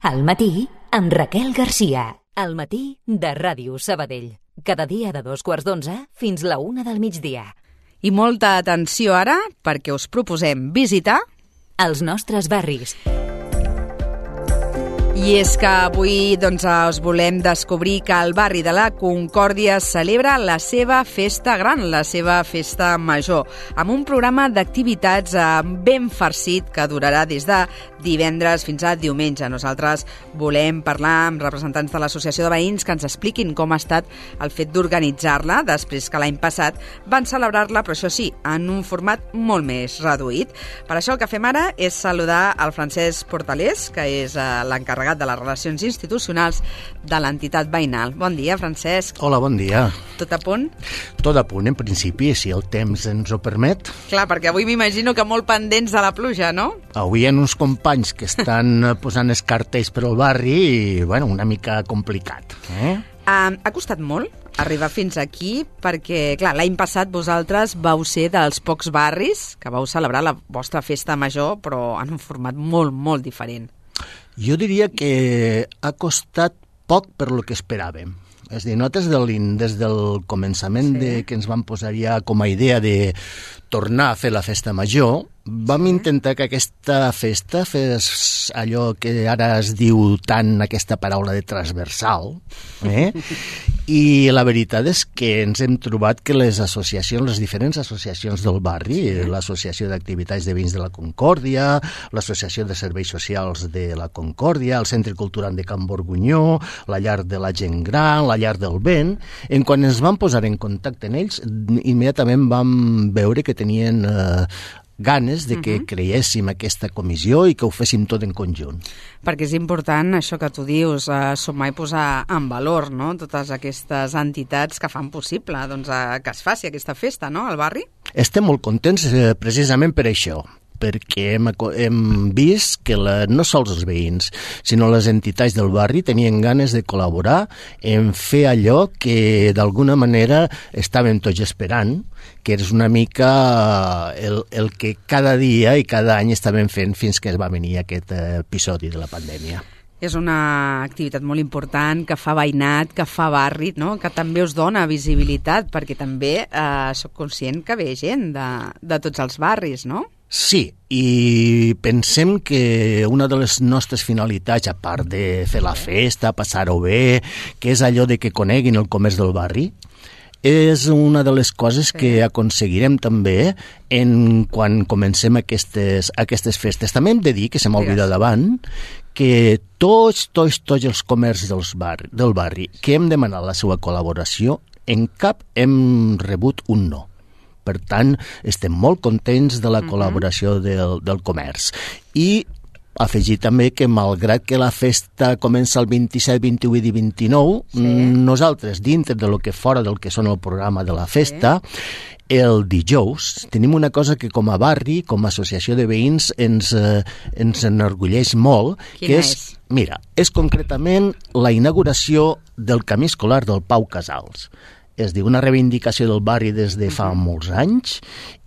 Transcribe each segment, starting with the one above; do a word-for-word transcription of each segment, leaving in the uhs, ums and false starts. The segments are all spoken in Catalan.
Al matí, amb Raquel Garcia. Al matí de Ràdio Sabadell. Cada dia de dos quarts d'onze fins la una del migdia. I molta atenció ara, perquè us proposem visitar els nostres barris. I és que avui doncs, us volem descobrir que el barri de la Concòrdia celebra la seva festa gran, la seva festa major, amb un programa d'activitats ben farcit que durarà des de divendres fins a diumenge. Nosaltres volem parlar amb representants de l'Associació de Veïns que ens expliquin com ha estat el fet d'organitzar-la, després que l'any passat van celebrar-la, però això sí, en un format molt més reduït. Per això el que fem ara és saludar el Francesc Portalés, que és l'encarregat de les relacions institucionals de l'entitat veïnal. Bon dia, Francesc. Hola, bon dia. Tot a punt? Tot a punt, en principi, si el temps ens ho permet. Clar, perquè avui m'imagino que molt pendents de la pluja, no? Avui hi ha uns companys que estan posant els cartells per al barri i, bueno, una mica complicat. Eh? Um, ha costat molt arribar fins aquí perquè, clar, l'any passat vosaltres vau ser dels pocs barris que vau celebrar la vostra festa major, però en un format molt, molt diferent. Jo diria que ha costat poc per lo que esperàvem. És a dir, nosaltres des del començament sí. de que ens vam posar ja com a idea de tornar a fer la festa major, vam sí. intentar que aquesta festa fes allò que ara es diu tant aquesta paraula de transversal, eh? I la veritat és que ens hem trobat que les associacions, les diferents associacions del barri, sí. l'Associació d'Activitats de Veïns de la Concòrdia, l'Associació de Serveis Socials de la Concòrdia, el Centre Cultural de Can Borgunyó, la Llar de la Gent Gran, la Llar del Vent, en quan ens vam posar en contacte amb ells, immediatament vam veure que tenien eh, ganes de que uh-huh. creéssim aquesta comissió i que ho féssim tot en conjunt. Perquè és important això que tu dius, eh, sumar i posar en valor, no?, totes aquestes entitats que fan possible doncs, eh, que es faci aquesta festa, no?, al barri. Estem molt contents eh, precisament per això, perquè hem, hem vist que la, no sols els veïns, sinó les entitats del barri tenien ganes de col·laborar en fer allò que d'alguna manera estàvem tots esperant, que és una mica el, el que cada dia i cada any estàvem fent fins que es va venir aquest episodi de la pandèmia. És una activitat molt important, que fa veïnat, que fa barri, no?, que també us dona visibilitat, perquè també eh, soc conscient que ve gent de, de tots els barris, no? Sí, i pensem que una de les nostres finalitats, a part de fer la festa, passar-ho bé, que és allò de que coneguin el comerç del barri, és una de les coses sí. que aconseguirem també en quan comencem aquestes, aquestes festes. També hem de dir, que se m'ha oblidat davant, que tots, tots, tots els comerços dels barri, del barri que hem demanat la seva col·laboració, en cap hem rebut un no. Per tant, estem molt contents de la uh-huh. col·laboració del, del comerç. I afegir també que, malgrat que la festa comença el vint-i-set, vint-i-vuit i vint-i-nou, sí. nosaltres, dintre de lo que fora del que són el programa de la festa, sí. el dijous tenim una cosa que com a barri, com a associació de veïns, ens, eh, ens enorgulleix molt. Quina que és? és? Mira, és concretament la inauguració del camí escolar del Pau Casals. És dir, una reivindicació del barri des de fa molts anys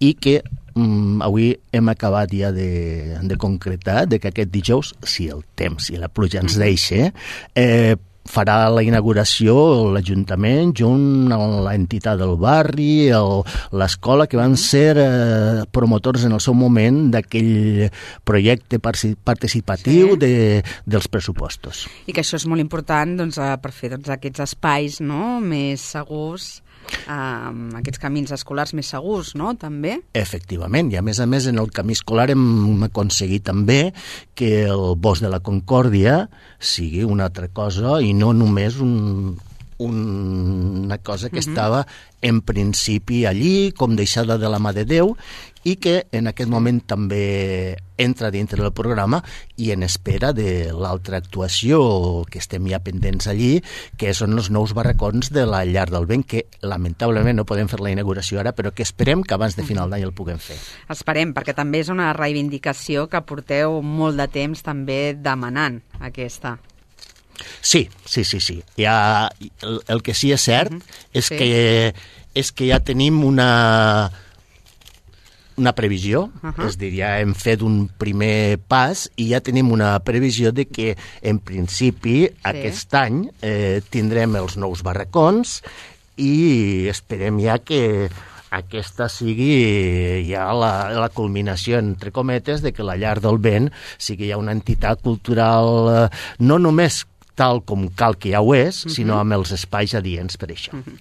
i que mm, avui hem acabat ja de, de concretar de que aquest dijous, si el temps i la pluja ens deixa, eh, farà la inauguració l'Ajuntament junt amb l'entitat del barri, el, l'escola, que van ser eh, promotors en el seu moment d'aquell projecte participatiu sí. de, dels pressupostos. I que això és molt important doncs, per fer doncs, aquests espais, no?, més segurs, Um, aquests camins escolars més segurs, no?, també. Efectivament, i a més a més en el camí escolar hem aconseguit també que el bosc de la Concòrdia sigui una altra cosa i no només un, un, una cosa que uh-huh. estava en principi allí, com deixada de la mà de Déu, i que en aquest moment també entra dintre del programa i en espera de l'altra actuació que estem ja pendents allí, que són els nous barracons de la Llar del Vent, que lamentablement no podem fer la inauguració ara, però que esperem que abans de final d'any el puguem fer. Esperem, perquè també és una reivindicació que porteu molt de temps també demanant, aquesta. Sí, sí, sí, sí. Ja, el, el que sí és cert uh-huh. és, sí. que, és que ja tenim una... una previsió, uh-huh. és a dir, ja hem fet un primer pas i ja tenim una previsió de que, en principi, sí. aquest any eh, tindrem els nous barracons i esperem ja que aquesta sigui ja la, la culminació, entre cometes, de que la Llar del Vent sigui ja una entitat cultural eh, no només tal com cal que ja ho és, uh-huh. sinó amb els espais adients per això. Uh-huh.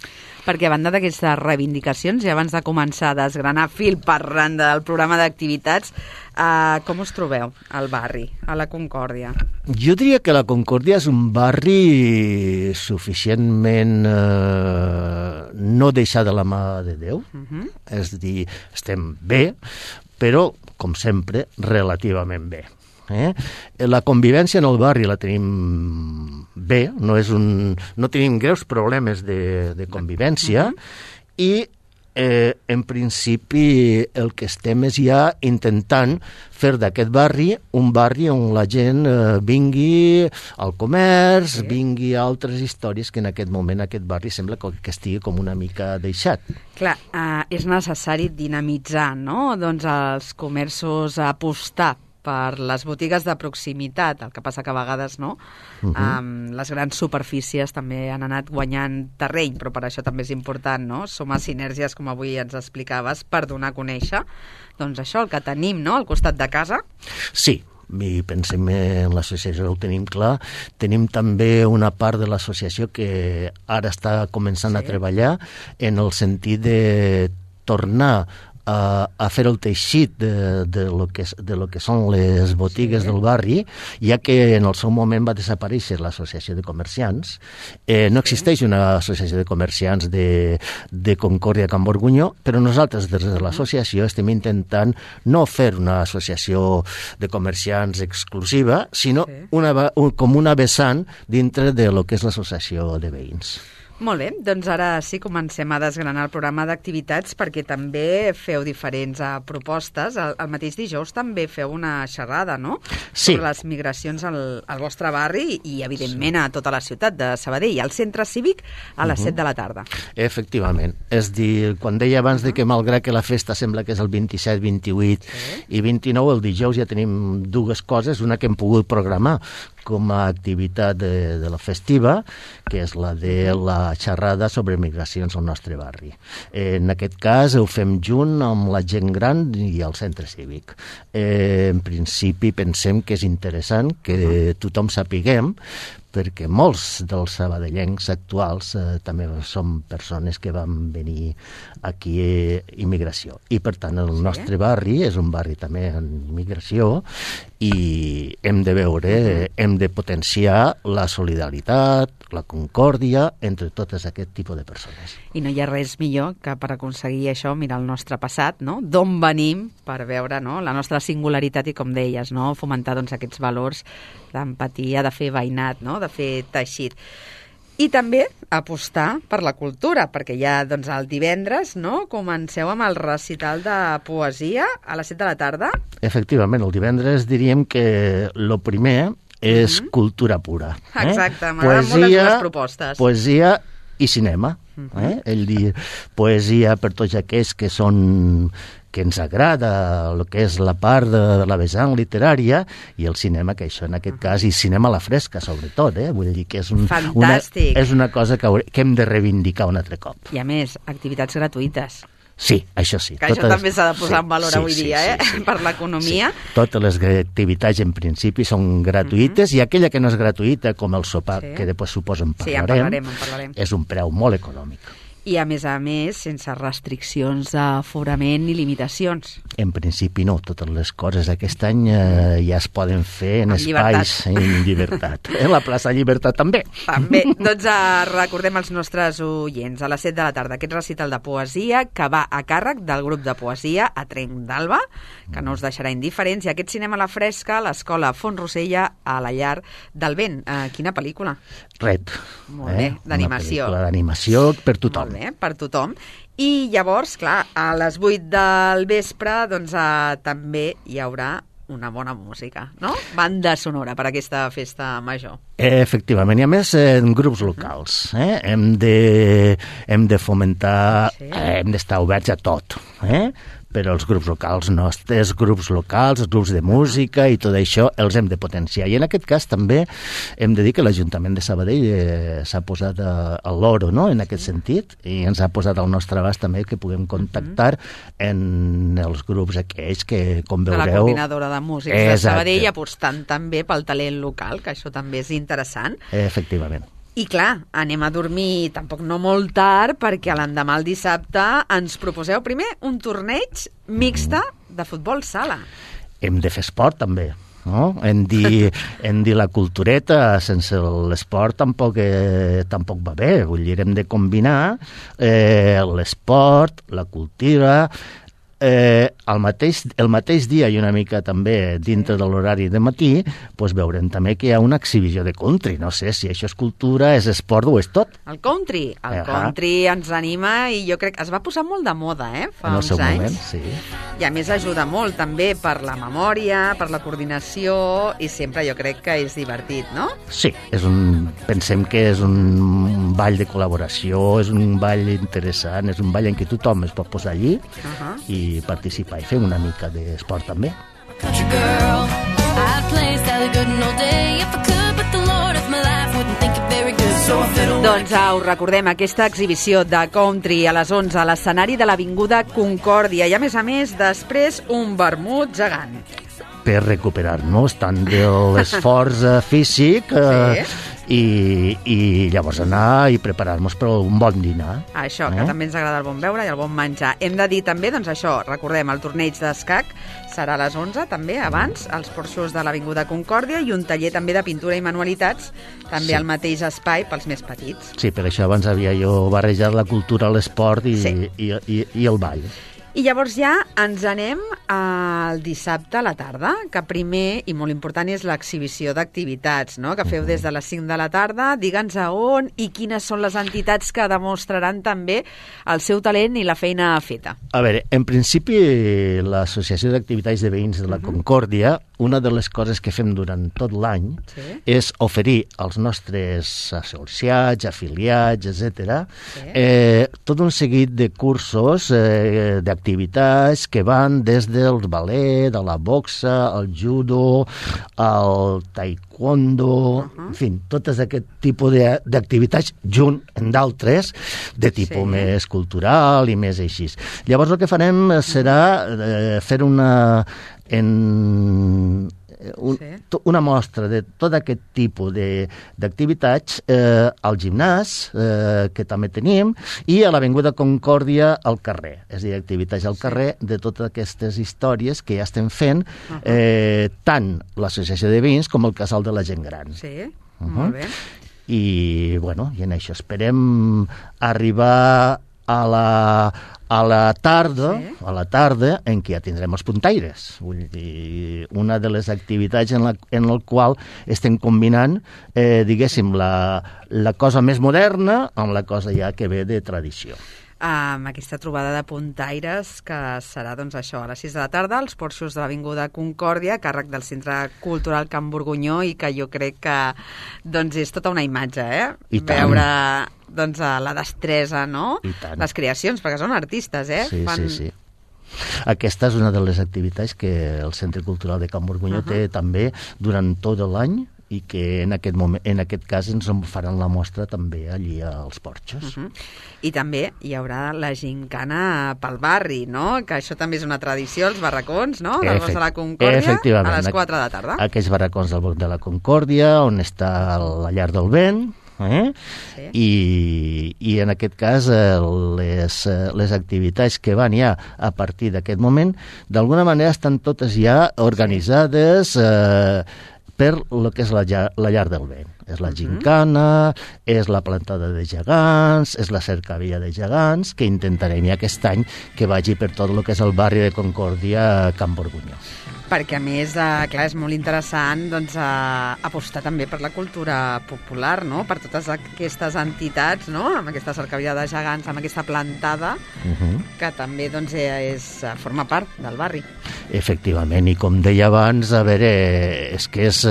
Perquè a banda d'aquestes reivindicacions, i abans de començar a desgranar fil per randa del programa d'activitats, eh, com us trobeu al barri, a la Concòrdia? Jo diria que la Concòrdia és un barri suficientment eh, no deixar de la mà de Déu, uh-huh. és a dir, estem bé, però, com sempre, relativament bé. Eh? La convivència en el barri la tenim bé, no, és un, no tenim greus problemes de, de convivència uh-huh. i eh, en principi el que estem és ja intentant fer d'aquest barri un barri on la gent eh, vingui al comerç, sí. vingui a altres històries que en aquest moment aquest barri sembla que estigui com una mica deixat. Clar, eh, és necessari dinamitzar, no? Doncs els comerços, apostar per les botigues de proximitat, el que passa que a vegades no, uh-huh. um, les grans superfícies també han anat guanyant terreny, però per això també és important, no? Sumar sinergies, com avui ens explicaves, per donar a conèixer, doncs això, el que tenim, no?, al costat de casa. Sí, i pensem en l'associació, ho tenim clar. Tenim també una part de l'associació que ara està començant sí. a treballar en el sentit de tornar a, a fer el teixit de, de, lo que, de lo que són les botigues sí. del barri, ja que en el seu moment va desaparèixer l'associació de comerciants. Eh, no sí. existeix una associació de comerciants de, de Concòrdia Can Borgunyó, però nosaltres des de l'associació estem intentant no fer una associació de comerciants exclusiva, sinó sí. una, un, com una vessant dintre de lo que és l'associació de veïns. Molt bé, doncs ara sí comencem a desgranar el programa d'activitats perquè també feu diferents uh, propostes. El, el mateix dijous també feu una xerrada, no? Sí. Sobre les migracions al, al vostre barri i, evidentment, sí. a tota la ciutat de Sabadell, al centre cívic a les uh-huh. set de la tarda. Efectivament. És dir, quan deia abans uh-huh. de que malgrat que la festa sembla que és el vint-i-set, vint-i-vuit sí. i vint-i-nou, el dijous ja tenim dues coses, una que hem pogut programar com a activitat de, de la festiva, que és la de la xerrada sobre migracions al nostre barri. Eh, en aquest cas ho fem junt amb la gent gran i el centre cívic. Eh, en principi pensem que és interessant que tothom sapiguem, perquè molts dels sabadellencs actuals eh, també són persones que van venir aquí a immigració. I, per tant, el nostre barri és un barri també en migració i hem de veure, hem de potenciar la solidaritat, la concòrdia entre totes aquest tipus de persones. I no hi ha res millor que per aconseguir això mirar el nostre passat, no? D'on venim, per veure no? la nostra singularitat i, com deies, no? fomentar doncs, aquests valors d'empatia, de fer veïnat, no? de fer teixit. I també apostar per la cultura, perquè ja doncs, el divendres no? comenceu amb el recital de poesia a les set de la tarda. Efectivament, el divendres diríem que el primer és uh-huh. cultura pura. Eh? Exacte, m'agraden molt les dues propostes. Poesia i cinema. Uh-huh. Eh? Ell diu poesia per tots aquells que són que ens agrada el que és la part de la vessant literària i el cinema, que això en aquest uh-huh. cas, i cinema a la fresca, sobretot, eh? Vull dir que és, un, una, és una cosa que, que hem de reivindicar un altre cop. I a més, activitats gratuïtes. Sí, això sí. Que totes, això també s'ha de posar sí, en valor sí, avui sí, dia, sí, eh? sí, sí. per l'economia. Sí. Totes les activitats, en principi, són gratuïtes uh-huh. i aquella que no és gratuïta, com el sopar, sí. que després suposo en parlarem, sí, en parlarem, en parlarem, és un preu molt econòmic. I, a més a més, sense restriccions d'aforament ni limitacions. En principi no, totes les coses aquest any eh, ja es poden fer en, en espais llibertat. en llibertat. En la plaça Llibertat també. També. Doncs uh, recordem als nostres oients, a les set de la tarda, aquest recital de poesia que va a càrrec del grup de poesia a Trenc d'Alba, que no us deixarà indiferents, i aquest cinema a la fresca, l'Escola Font Rosella, a la Llar del Vent. Uh, quina pel·lícula? Ret. Molt bé, eh? d'animació. Una pel·lícula d'animació per tothom. Molt bé, per tothom. I llavors, clar, a les vuit del vespre doncs, eh, també hi haurà una bona música, no? Banda sonora per aquesta festa major. Efectivament, i a més en grups locals. Eh? Hem, de, hem de fomentar, sí. eh, hem d'estar oberts a tot. Eh? però els grups locals nostres, grups locals, els grups de música i tot això els hem de potenciar. I en aquest cas també hem de dir que l'Ajuntament de Sabadell eh, s'ha posat a, a l'oro, no?, en aquest sentit, i ens ha posat al nostre abast també que puguem contactar en els grups aquells que, com veureu... De la coordinadora de músics de Sabadell, apostant també pel talent local, que això també és interessant. Efectivament. I clar, anem a dormir tampoc no molt tard, perquè l'endemà, el dissabte, ens proposeu primer un torneig mixta de futbol sala. Hem de fer esport, també. No? Hem dir, hem dir la cultureta sense l'esport tampoc, eh, tampoc va bé. Vull dir, hem de combinar eh, l'esport, la cultura... Eh, el, mateix, el mateix dia i una mica també dintre de l'horari de matí doncs veurem també que hi ha una exhibició de country. No sé si això és cultura, és esport o és tot. El country, el uh-huh. country ens anima i jo crec que es va posar molt de moda, eh, fa en el uns seu anys. Moment, sí. I a més ajuda molt també per la memòria, per la coordinació, i sempre jo crec que és divertit, no? Sí, és un, pensem que és un ball de col·laboració, és un ball interessant, és un ball en què tothom es pot posar allí uh-huh. i participar i fer una mica d'esport també. Doncs ah, us recordem aquesta exhibició de country a les onze a l'escenari de l'Avinguda Concòrdia i a més a més després un vermut gegant. Per recuperar-nos tant de l'esforç físic eh, sí. i, i llavors anar i preparar-nos per un bon dinar. Això, que eh? també ens agrada el bon beure i el bon menjar. Hem de dir també, doncs això, recordem, el torneig d'escac serà a les onze, també, abans, als porxos de l'Avinguda Concòrdia i un taller també de pintura i manualitats, també sí. al mateix espai pels més petits. Sí, per això abans havia jo barrejat la cultura, l'esport i, sí. i, i, i el ball. I llavors ja ens anem al dissabte a la tarda, que primer i molt important és l'exhibició d'activitats, no?, que feu des de les cinc de la tarda. Digue'ns a on i quines són les entitats que demostraran també el seu talent i la feina feta. A veure, en principi l'Associació d'Activitats de Veïns de la uh-huh. Concòrdia, una de les coses que fem durant tot l'any sí. és oferir als nostres associats, afiliats, etcètera, sí. eh, tot un seguit de cursos eh, d'activitats activitats que van des del ballet, de la boxa, el judo, el taekwondo, uh-huh. en fi, totes aquest tipus d'activitats junt amb d'altres de tipus sí. més cultural i més així. Llavors el que farem serà eh, fer una en un, sí. una mostra de tot aquest tipus d'activitats eh, al gimnàs, eh, que també tenim, i a l'Avinguda Concòrdia al carrer. És a dir, activitats al carrer sí. de totes aquestes històries que ja estem fent, uh-huh. eh, tant l'Associació de Veïns com el Casal de la Gent Gran. Sí, uh-huh. molt bé. I, bueno, i en això esperem arribar a la, a la tarda, sí. a la tarda en què ja tindrem els puntaires. Vull dir, una de les activitats en la, en el qual estem combinant, eh, diguéssim, la, la cosa més moderna amb la cosa ja que ve de tradició. Amb aquesta trobada de puntaires que serà doncs això a les sis de la tarda als porxos de l'Avinguda Concòrdia, a càrrec del Centre Cultural Can Borgunyó, i que jo crec que doncs és tota una imatge, eh? I tant. Veure doncs la destresa, no? Les creacions, perquè són artistes, eh? Sí, Fan... sí, sí. Aquesta és una de les activitats que el Centre Cultural de Can Borgunyó uh-huh. té també durant tot l'any, i que en aquest, moment, en aquest cas ens en faran la mostra també allí als porxos. Uh-huh. I també hi haurà la gincana pel barri, no? Que això també és una tradició, els barracons, no? Del Bosc de la Concòrdia, a les quatre de la tarda. Aquests barracons del Bosc de la Concòrdia, on està la llar del vent, eh? sí. I, i en aquest cas eh, les, les activitats que van ja a partir d'aquest moment, d'alguna manera estan totes ja organitzades eh, per el que és la, la llar del vent. És la gincana, és la plantada de gegants, és la cercavia de gegants, que intentarem ja aquest any que vagi per tot el que és el barri de Concòrdia, Can Borgunyó. Perquè, a més, eh, clar, és molt interessant doncs, eh, apostar també per la cultura popular, no? Per totes aquestes entitats, no? Amb aquesta cercavia de gegants, amb aquesta plantada, uh-huh. que també doncs, és, forma part del barri. Efectivament, i com deia abans, a veure, és que és,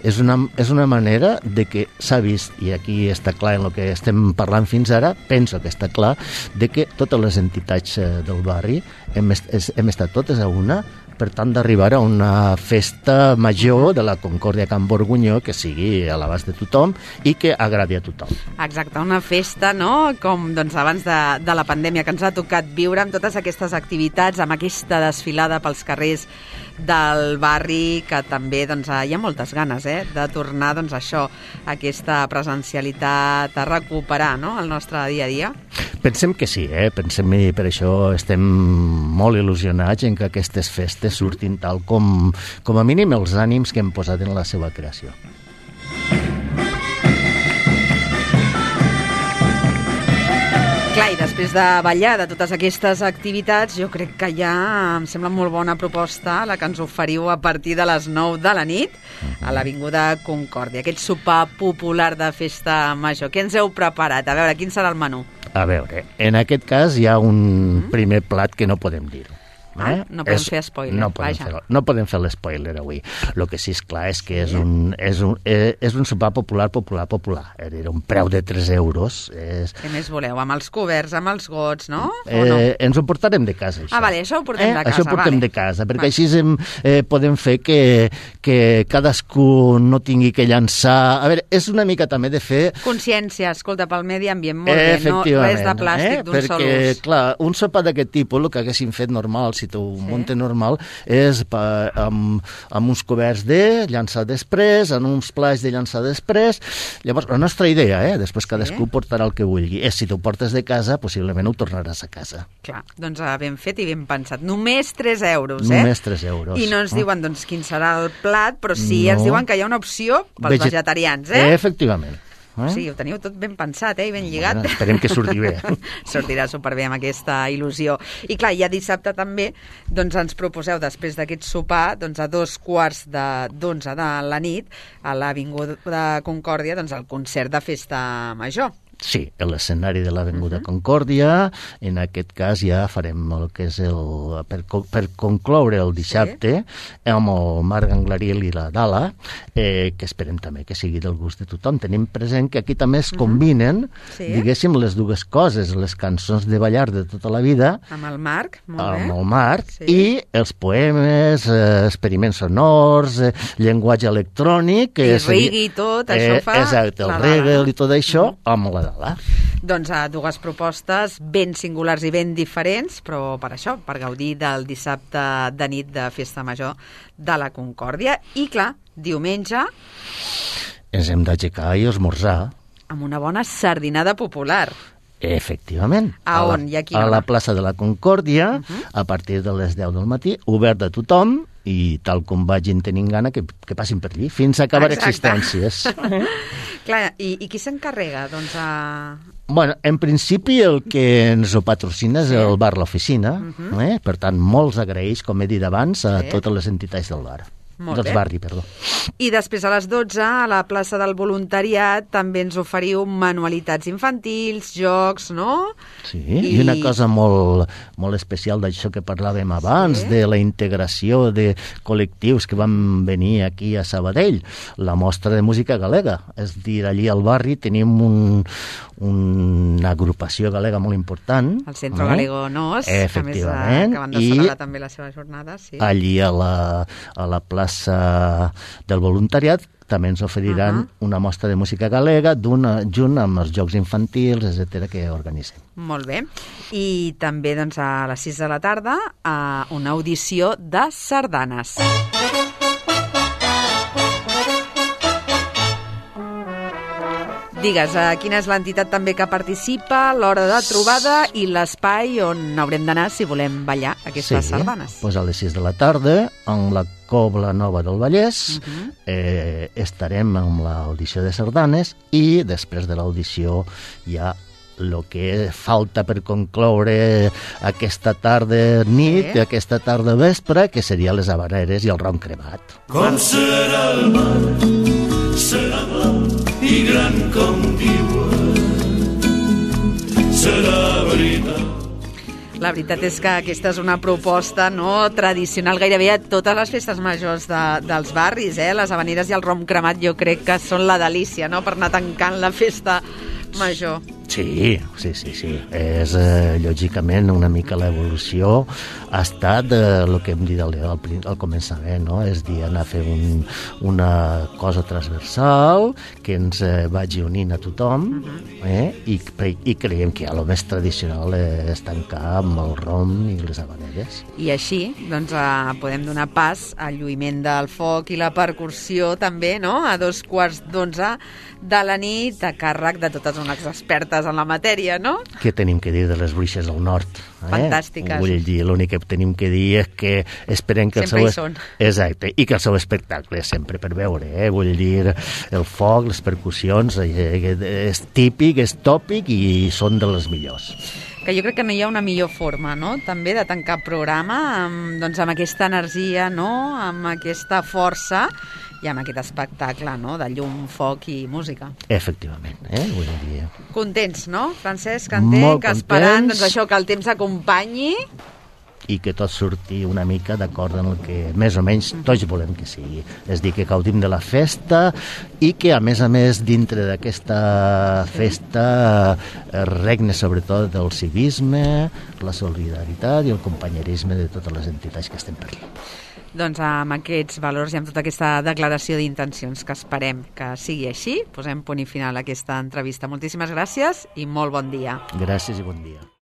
és, una, és una manera de que s'ha vist, i aquí està clar en el que estem parlant fins ara, penso que està clar, de que totes les entitats del barri hem, est hem estat totes a una, per tant, d'arribar a una festa major de la Concòrdia Can Borgunyó que sigui a l'abast de tothom i que agradi a tothom. Exacte, una festa, no?, com doncs, abans de, de la pandèmia, que ens ha tocat viure amb totes aquestes activitats, amb aquesta desfilada pels carrers del barri, que també doncs, hi ha moltes ganes eh, de tornar doncs, això, aquesta presencialitat, a recuperar no?, el nostre dia a dia. Pensem que sí, eh? Pensem i per això estem molt il·lusionats en que aquestes festes surtin tal com, com a mínim els ànims que hem posat en la seva creació. Clar, i després de ballar de totes aquestes activitats, jo crec que ja em sembla molt bona proposta la que ens oferiu a partir de les nou de la nit a l'Avinguda Concòrdia, aquest sopar popular de festa major. Què ens heu preparat? A veure, quin serà el menú? A veure, en aquest cas hi ha un primer plat que no podem dir-ho. Eh? No podem és, fer spoiler, no podem fer, no podem fer l'espoiler avui. El que sí és clar és que és un, és un, és un sopar popular, popular, popular. Era un preu de tres euros. És... Què més voleu? Amb els coberts, amb els gots, no? Eh, no? Ens ho portarem de casa, això. Ah, vale, això ho portem eh? de casa. Això ho portem vale. de casa, perquè vale. així hem, eh, podem fer que, que cadascú no tingui que llançar... A veure, és una mica també de fer... Consciència, escolta, pel medi ambient, molt bé, no res de plàstic eh? d'un perquè, sol ús. Perquè, clar, un sopar d'aquest tipus, el que haguéssim fet normal, si t'ho sí. muntes normal, és pa, amb, amb uns coberts de llançar després, en uns plats de llançar després. Llavors, la nostra idea, eh, després cadascú sí. portarà el que vulgui, és si t'ho portes de casa, possiblement ho tornaràs a casa. Clar, doncs ben fet i ben pensat. Només tres euros, eh? Només tres euros. I no ens diuen, doncs, quin serà el plat, però sí no. ens diuen que hi ha una opció pels Veget... vegetarians, eh? Efectivament. Eh? Sí, ho teniu tot ben pensat, eh? I ben lligat. Bueno, esperem que surti bé. Sortirà superbé amb aquesta il·lusió. I clar, ja dissabte també doncs ens proposeu, després d'aquest sopar, doncs a dos quarts d'onze de, de la nit, a l'Avinguda Concòrdia, doncs el concert de festa major. Sí, a l'escenari de l'Avinguda uh -huh. Concòrdia. En aquest cas ja farem el que és el... Per, per concloure el dissabte sí. amb el Marc Anglariel i la Dala, eh, que esperem també que sigui del gust de tothom. Tenim present que aquí també es combinen, uh -huh. sí. diguéssim, les dues coses, les cançons de ballar de tota la vida... Amb el Marc, molt amb bé. el Marc, sí. i els poemes, eh, experiments sonors, eh, llenguatge electrònic... I reggae i tot, això eh, fa... Exacte, el reggae i tot això, uh -huh. amb la Dala. Doncs a dues propostes ben singulars i ben diferents, però per això, per gaudir del dissabte de nit de Festa Major de la Concòrdia. I clar, diumenge... Ens hem d'aixecar i esmorzar. Amb una bona sardinada popular. Efectivament. A on? I a quina hora? A la plaça de la Concòrdia, uh -huh. a partir de les deu del matí, obert a tothom, i tal com vagin tenint gana, que, que passin per allí, fins a acabar Exacte. existències. Clar, i, i qui s'encarrega? Doncs a... Bueno, en principi el que ens ho patrocina és sí. el bar L'Oficina, uh -huh. eh? Per tant, molts agraeix, com he dit abans, a sí. totes les entitats del bar. Molt dels bé. barri, perdó. I després a les dotze, a la plaça del Voluntariat, també ens oferiu manualitats infantils, jocs, no? Sí, i, i una cosa molt, molt especial d'això que parlàvem abans, sí. de la integració de col·lectius que van venir aquí a Sabadell, la mostra de música galega. És dir, allí al barri tenim un, una agrupació galega molt important. El Centro eh? Galego Nos, efectivament, que, més, que van de celebrar també la seva jornada. Sí. Allí a la, a la plaça del Voluntariat també ens oferiran uh -huh. una mostra de música galega junt amb els jocs infantils, etcètera, que organitzem. Molt bé. I també doncs, a les sis de la tarda a una audició de sardanes. Digues, uh, quina és l'entitat també que participa, l'hora de trobada i l'espai on haurem d'anar si volem ballar aquestes sí, sardanes. Doncs a les sis de la tarda, en la Cobla Nova del Vallès, uh -huh. eh, estarem amb l'audició de sardanes i després de l'audició ja el que falta per concloure aquesta tarda nit, sí. aquesta tarda vespre, que seria les havaneres i el ron cremat. Com serà el mar, serà blau i gran com diuen, serà veritat. La veritat és que aquesta és una proposta no tradicional gairebé a totes les festes majors de, dels barris, eh? Les havaneres i el rom cremat jo crec que són la delícia, no?, per anar tancant la festa major. Sí, sí, sí, sí. És, eh, lògicament, una mica l'evolució ha estat el que hem dit al, al, al començament, no? És dir, anar a fer un, una cosa transversal que ens eh, vagi unint a tothom, eh? I, i creiem que ja el més tradicional és tancar amb el rom i les havaneres. I així, doncs, eh, podem donar pas al lluïment del foc i la percussió també, no?, a dos quarts d'onze de la nit, a càrrec de totes unes expertes en la matèria, no? Què tenim que dir de les bruixes del nord? Eh? Fantàstiques. Vull dir, l'únic que tenim que dir és que esperem que sempre el seu... hi són. Exacte, i que el seu espectacle és sempre per veure, eh? Vull dir, el foc, les percussions, eh, és típic, és tòpic i són de les millors. Que jo crec que no hi ha una millor forma, no?, també de tancar programa amb, doncs, amb aquesta energia, no?, amb aquesta força i amb aquest espectacle, no?, de llum, foc i música. Efectivament, eh? Vull dir... Contents, no, Francesc? Entenc, Molt que esperant, contents. doncs, això, que el temps acompanyi. I que tot surti una mica d'acord amb el que més o menys tots volem que sigui. És dir, que gaudim de la festa i que, a més a més, dintre d'aquesta festa eh, regne sobretot el civisme, la solidaritat i el companyerisme de totes les entitats que estem per allà. Doncs amb aquests valors i amb tota aquesta declaració d'intencions que esperem que sigui així, posem punt i final a aquesta entrevista. Moltíssimes gràcies i molt bon dia. Gràcies i bon dia.